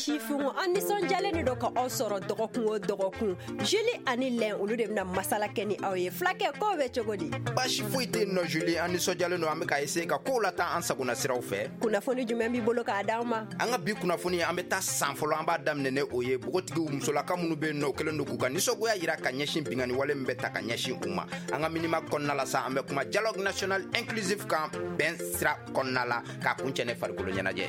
Sifinw, an nisɔndiyalen de don ka aw sɔrɔ dɔgɔkun o dɔgɔkun. Julie ani Lɛn, olu de bɛna masala kɛ ni aw ye. Fulakɛ, kow bɛ cogo di? Baasi foyi tɛ yen nɔ, Julie. An nisɔndiyalen don, an bɛ ka essayer ka kow lataa an sagona siraw fɛ. Kunnafoni jumɛn b'i bolo k'a d'an ma? An ka bi kunnafoni, an bɛ taa san fɔlɔ, an b'a daminɛ ne o ye npogotigiw musolaka minnu bɛ yen nɔ, o kɛlen don k'u ka nisɔngoya yira ka ɲɛsin binkanni wale min bɛ ta ka ɲɛsin u ma. An ka minimag kɔnɔna la sa, an bɛ kuma dialogue national inclusif kan bɛn sira kɔnɔna la, k'a kuncɛ ne farikolo ɲɛnajɛ.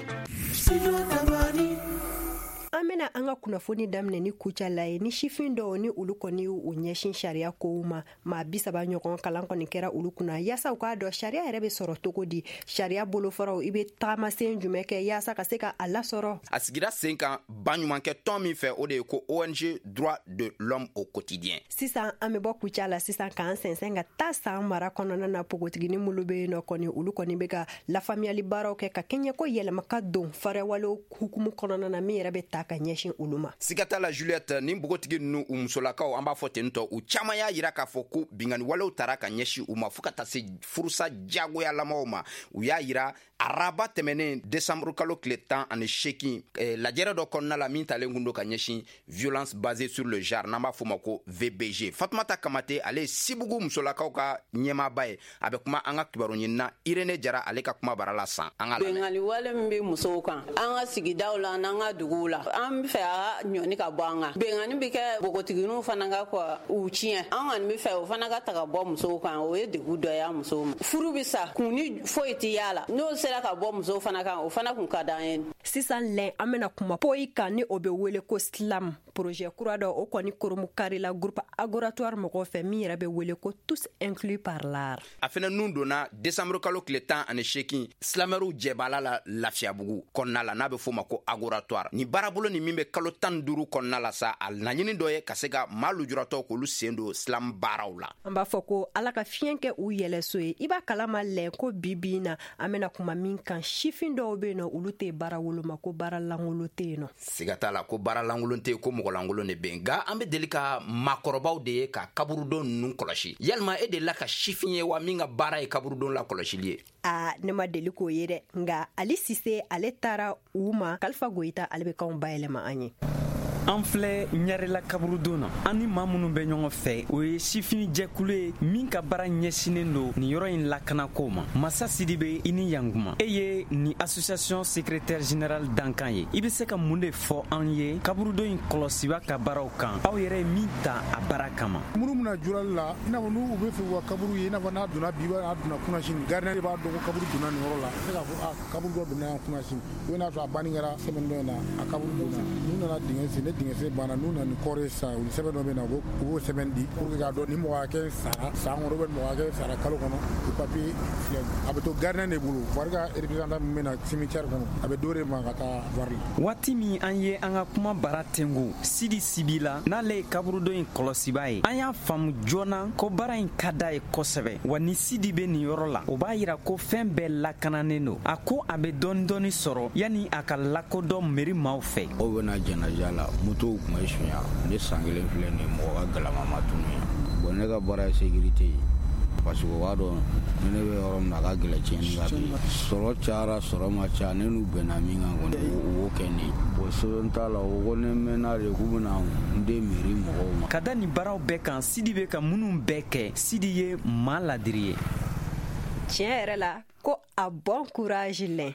An bɛna an ka kunnafoni daminɛ ni Kucala ye, ni sifin dɔw ni olu kɔni y'u ɲɛsin sariya kow ma. Maa 30 ɲɔgɔn kalan kɔni kɛra olu kunna yaasa u k'a dɔn sariya yɛrɛ bɛ sɔrɔ cogo di, sariya bolofaraw, i bɛ tagamasen jumɛn kɛ yaasa ka se ka a lasɔrɔ. A sigira sen kan baɲumankɛ tɔn min fɛ, o de ye ko ONG Droit de l'Homme au quotidien. Sisan an bɛ bɔ Kucala sisan k'an sɛnsɛn ka taa San mara kɔnɔna na. Npogotiginin minnu bɛ yen nɔ kɔni, olu kɔni bɛ ka lafaamuyali baaraw kɛ ka kɛɲɛ ko yɛlɛma ka don farewalew hukumu kɔnɔna na min yɛrɛ bɛ ta ka ɲɛsin olu ma. Siga t'a la, Juliette, nin npogotigi ninnu, u musolakaw, an b'a fɔ ten tɔ, u caman y'a yira k'a fɔ ko binkanni walew tara ka ɲɛsin u ma fɔɔ ka taa se furusa diyagoyalamaw ma. U y'a yira araba tɛmɛnen, desanburu kalo tile 18, lajɛrɛ dɔ kɔnɔna la min talen kun don ka ɲɛsin violence basée sur le genre, n'an b'a fɔ ma ko VBG. Fatumata Kamate, ale ye Sibugu musolakaw ka ɲɛmaaba ye. A bɛ kuma an ka kibaru ɲinina Irene Jara, ale ka kuma bara la san. An ka lamɛn. Binkanni wale min bɛ musow kan an ka sigidaw la n'an ka duguw la, an bɛ fɛ a ka ɲɔni ka bɔ an kan. Binkanni bɛ kɛ npogotigininw fana ka kɔ u tiɲɛ, an kɔni bɛ fɛ o fana ka ta ka bɔ musow kan. O ye degun dɔ ye musow ma. Furu bɛ sa, kun ni foyi tɛ y'a la. N'o sera ka bɔ musow fana kan, o fana kun ka d'an ye. Sisan lɛn, an bɛna kuma poyi kan, ni o bɛ wele ko slam. Projet kura dɔ, o kɔni koromu karila groupe Agoratoire mɔgɔw fɛ, min yɛrɛ bɛ wele ko tous inclus par l'art. A fɛnɛ nun donna desanburu kalo tile 18 slamɛriw jɛbala la Lafiyabugu kɔnɔna la, n'a bɛ f'o ma ko Agoratoire. Nin baarabolo nin min bɛ kalo 15 kɔnɔna la sa, a laɲini dɔ ye ka se ka maa lujuratɔw k'olu sen don slam baaraw la. An b'a fɔ ko Ala ka fiɲɛ kɛ u yɛlɛso ye. I b'a kalama lɛn ko bi bi in na, an bɛna kuma min kan, sifin dɔw bɛ yen nɔ, olu tɛ baara woloma, ko baara lankolon tɛ yen nɔ. Siga t'a la ko baara lankolon tɛ yen, ko mɔgɔ lankolon de bɛ yen. Nka an bɛ deli ka maakɔrɔbaw de ye ka kaburudon ninnu kɔlɔsi. Yalima e delila ka sifin ye wa min ka baara ye kaburudon la kɔlɔsili ye? Aa, ne ma deli k'o ye dɛ. Nka Ali Sise, ale taara u ma. Kalifa Goyita, ale bɛ kanw bayɛlɛma an ye. An filɛ Ɲarela kaburudon na. An ni maa minnu bɛ ɲɔgɔn fɛ, o ye sifin jɛkulu ye min ka baara ɲɛsinnen don nin yɔrɔ in lakanako ma. Masa Sidibe, i ni yankuma. E ye nin association secrétaire général dankan ye. I bɛ se ka mun de fɔ an ye kaburudon in kɔlɔsiba ka baaraw kan, aw yɛrɛ ye min ta a baara kama? Minnu bɛna jurali la, i n'a fɔ n'u bɛ fɛ u ka kaburu ye, i n'a fɔ n'a donna bi, n'a donna kunasini, gardien de b'a dɔn ko kaburu donna nin yɔrɔ la. Se k'a fɔ a kaburu dɔ donna yan kunasini, ou n'a sɔrɔ a banni kɛra semaine dɔ in na, a kaburu donna. N'u nana dingɛ sen, ne dingɛ sen banna, n'u nana ni corps ye sisan, u ni sɛbɛn dɔ bɛ na, u b'o sɛbɛn di pour que k'a dɔn ni mɔgɔ hakɛ sara san kɔnɔ ou bien mɔgɔ hakɛ sara kalo kɔnɔ. O papier filɛ, a bɛ to gardien de bolo. Voirie ka représentant min bɛ na cimetière kɔnɔ, a bɛ d'o de ma ka taa voirie la. Waati min an ye an ka kuma bara tengu Sidi Sibi la, n'ale ye kaburudon in kɔlɔsiba ye, an y'a faamu joona ko baara in ka d'a ye kosɛbɛ. Wa ni Sidi bɛ nin yɔrɔ la, o b'a yira ko fɛn bɛɛ lakananen don. A ko a bɛ dɔɔni dɔɔni sɔrɔ yanni a ka lakodɔn meri maaw fɛ. Mɔgɔw bɛna janaja la, motow tun bɛ sunya. Ne san kelen filɛ nin, mɔgɔ ka galama ma tunu yan. Bon, ne ka baara ye sécurité ye, parce que o b'a dɔn ni ne bɛ yɔrɔ min na, a ka gɛlɛn tiɲɛni ka bin. Sɔrɔ cayara, sɔrɔ ma caya, ne n'u bɛnna min kan kɔni, u b'o kɛ ne ye. Bon, sɛbɛn t'a la, o ko ne mɛnna de k'u bɛna n den mairie mɔgɔw ma. Ka da nin baaraw bɛɛ kan, Sidi bɛ ka minnu bɛɛ kɛ, Sidi ye maa ladiri ye. Tiɲɛ yɛrɛ la ko a bon courage lɛn.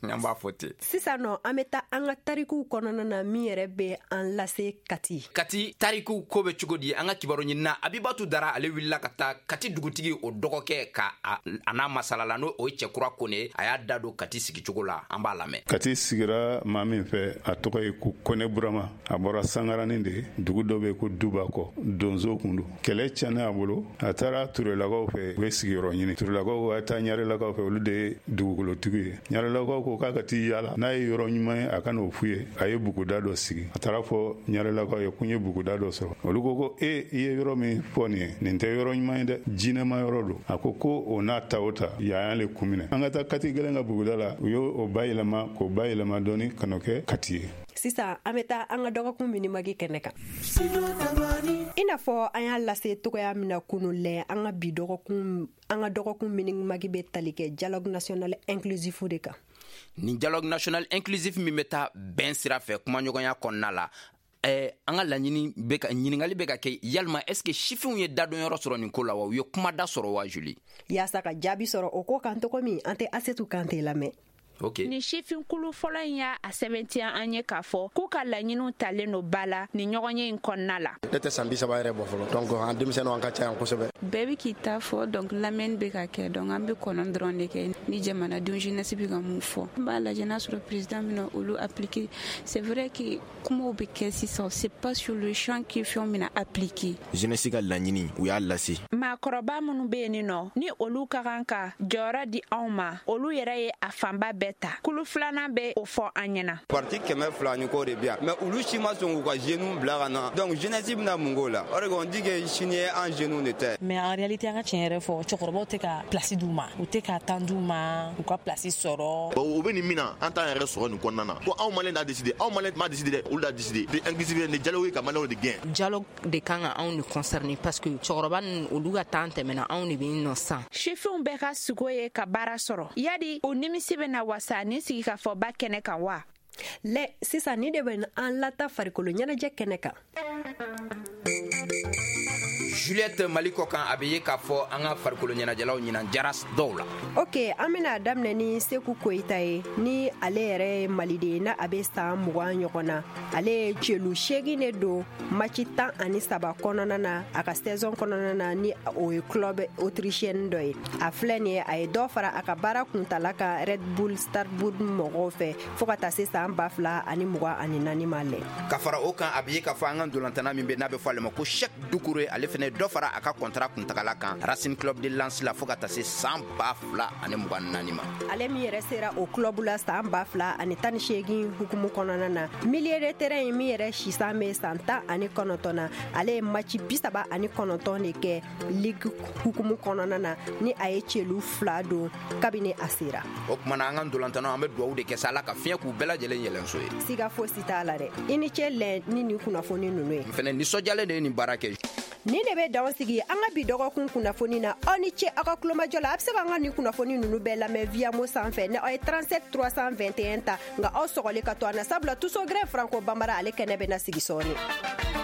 An b'a fɔ ten. Sisan nɔ, an bɛ taa an ka tarikuw kɔnɔna na, min yɛrɛ bɛ an lase Kati. Kati tarikuw ko bɛ cogo di? An ka kibaru ɲinina Abibatu Dara, ale wulila ka taa Kati dugutigi o dɔgɔkɛ ka a n'a masala la, n'o o ye Cɛkura Kone. A y'a da don Kati sigicogo la, an b'a lamɛn. Kati sigira maa min fɛ, a tɔgɔ ye ko Kone Burama. A bɔra Sangaranin de, dugu dɔ bɛ ko Dubakɔ, donso kun don. Kɛlɛ tiɲɛna a bolo, a taara Turelakaw fɛ, u ye sigiyɔrɔ ɲini. Turelakaw ko a taa Ɲarelakaw fɛ, olu de ye dugukolotigi ye. Ɲarelakaw ko k'a ka t'i yaala, n'a ye yɔrɔ ɲuman ye, a ka n'o f'u ye. A ye buguda dɔ sigi. A taara fɔ Ɲarelakaw ye ko n ye buguda dɔ sɔrɔ. Olu ko ko e, i ye yɔrɔ min fɔ nin ye, nin tɛ yɔrɔ ɲuman ye dɛ, jinɛma yɔrɔ don. A ko ko o n'a ta o ta, yan y'ale kun minɛ. An ka taa Kati gɛlɛn ka buguda la. U y'o bayɛlɛma, k'o bayɛlɛma dɔɔni ka n'o kɛ Kati ye. Sisan an bɛ taa an ka dɔgɔkun minimagi kɛnɛ kan. I n'a fɔ an y'a lase togoya min na kunu lɛ, an ka bi dɔgɔkun, an ka dɔgɔkun minimagi bɛ tali kɛ dialogue national inclusif de kan. Nin dialogue national inclusif min bɛ taa bɛn sira fɛ kumaɲɔgɔnya kɔnɔna la, an ka laɲini bɛ ka ɲininkali bɛ ka kɛ, yalima est ce que sifinw ye dadonyɔrɔ sɔrɔ nin ko la wa, u ye kumada sɔrɔ wa, Julie? Yaasa ka jaabi sɔrɔ o ko kan cogo min, an tɛ Asetu Kante lamɛn. Okay. Ni sifinkulu fɔlɔ in y'a sɛbɛntiya an ye k'a fɔ k'u ka laɲiniw talen don ba la ni ɲɔgɔnye in kɔnɔna la. Ne tɛ san 30 yɛrɛ bɔ fɔlɔ, donc an denmisɛnninw an ka ca yan kosɛbɛ. Bɛɛ bɛ k'i ta fɔ, donc lamɛnni bɛ ka kɛ, donc an bɛ kɔnɔ dɔrɔn de kɛ ni jamanadenw jeunesse bɛ ka mun fɔ. N b'a lajɛ n'a sɔrɔ président bɛna olu appliquer. C'est vrai que kumaw bɛ kɛ sisan, c'est pas sur le champ que fɛnw bɛna appliquer. Jeunesse ka laɲini, u y'a lase. Maakɔrɔba minnu bɛ yen nɔ, ni olu ka kan ka jɔyɔrɔ di anw ma, olu yɛrɛ ye a fanba bɛɛ ta. Kulu filanan bɛ o fɔ an ɲɛna. Parti 200 ni kɔ de bi yan, mais olu si ma sɔn k'u ka jeunes bila ka na, donc jeunesse bɛna mun k'o la? O de on dit que sini ye an jeunes de ta ye. Mais en réalité, an ka tiɲɛ yɛrɛ fɔ, cɛkɔrɔbaw tɛ ka place d'u ma, u tɛ ka temps d'u ma u ka place sɔrɔ. Bon, u bɛ nin min na, an t'an yɛrɛ sɔrɔ nin kɔnɔna na ko anw malien d'a décider, anw malien m'a décider dɛ, olu d'a décider. De inclusivité ni dialogue ka malien de gɛn. Dialogue de kan ka anw de concerner, parce que cɛkɔrɔba ninnu, olu ka temps tɛmɛna, anw de bɛ yen nɔ sisan. Sifinw bɛɛ ka sugo ye ka baara sɔrɔ, yadi o nimisi bɛna wasa ni sigikafɔba kɛnɛ kan wa? Lɛ sisan, ni de bɛ an lata farikolo ɲɛnajɛ kɛnɛ kan. Juliette, Mali kɔ kan, a bɛ ye k'a fɔ an ka farikolo ɲɛnajɛlaw ɲinan jara dɔw la. Ok, an bɛna daminɛ ni Seku Koyita ye, ni ale yɛrɛ ye maliden na, a bɛ san 20 ɲɔgɔn na. Ale ye celu 8 de don match 13 kɔnɔna na a ka saison kɔnɔna na, ni o ye club autrichienne dɔ ye. A filɛ nin ye, a ye dɔ fara a ka baara kuntala kan Red Bull Salzbourg mɔgɔw fɛ fo ka taa se san 2024 ma lɛ. Ka fara o kan, a bɛ ye k'a fɔ an ka ntolantana min bɛ n'a bɛ fɔ ale ma ko Cheick Doucouré, ale fɛnɛ dɔ fara a ka contrat kuntagala kan Racing Club de Lens la fo ka taa se san 2024 ma. Ale min yɛrɛ sera o club la san 2018 hukumu kɔnɔna na, milieu de terrain min yɛrɛ sisan bɛ san 19 na, ale ye match 39 de kɛ ligue hukumu kɔnɔna na, ni a ye celu 2 don kabini a sera. O tuma na, an ka ntolantanaw, an bɛ dugawu de kɛ sa, Ala ka fiɲɛ k'u bɛɛ lajɛlen yɛlɛnso ye. Siga fosi t'a la dɛ. I ni ce lɛ ni nin kunnafoni ninnu ye. N fɛnɛ nisɔndiyalen de ye nin baara kɛ. Nin de bɛ dan sigi an ka bi dɔgɔkun kunnafoni na. Aw ni ce aw ka kulomajɔ la. A bɛ se k'an ka nin kunnafoni ninnu bɛɛ lamɛn Viamo sanfɛ ni aw ye 37 321 ta. Nka aw sɔgɔli ka to an na, sabula Tuso Grin Franco Bambara, ale kɛnɛ bɛ na sigi sɔɔni.